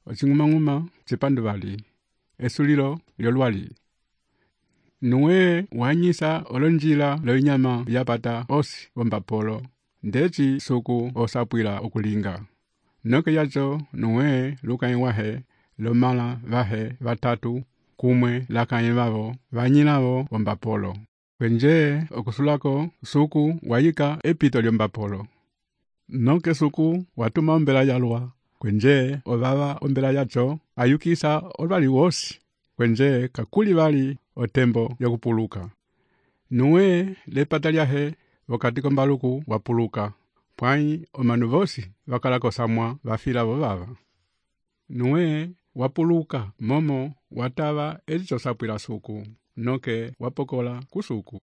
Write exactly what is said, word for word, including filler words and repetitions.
ocing'umang'uma cipanduvali, esulilo lyolwali. Nuwe wanyisa olonjila loinyama yapata osi wombapolo, ndeci suku osapwila ukulinga. Noke yacho nuwe lukayi wahe lomala vahe vatatu kumwe lakayi vavo vanyinavo wombapolo. Kwenje okusulako suku wayika epito lyombapolo. Noke suku watuma ombela yalwa. Kwenje ovava ombela yacho ayukisa olwali wosi. Kwenje kakuli vali otembo yokupuluka. Nuwe lepata lyahe wakati kombaluku wapuluka. Pwai omanu vosi wakalako samwa vafila vovava. Nuwe wapuluka momo watava ezicho sapwila suku. Noke wapokola kusuku.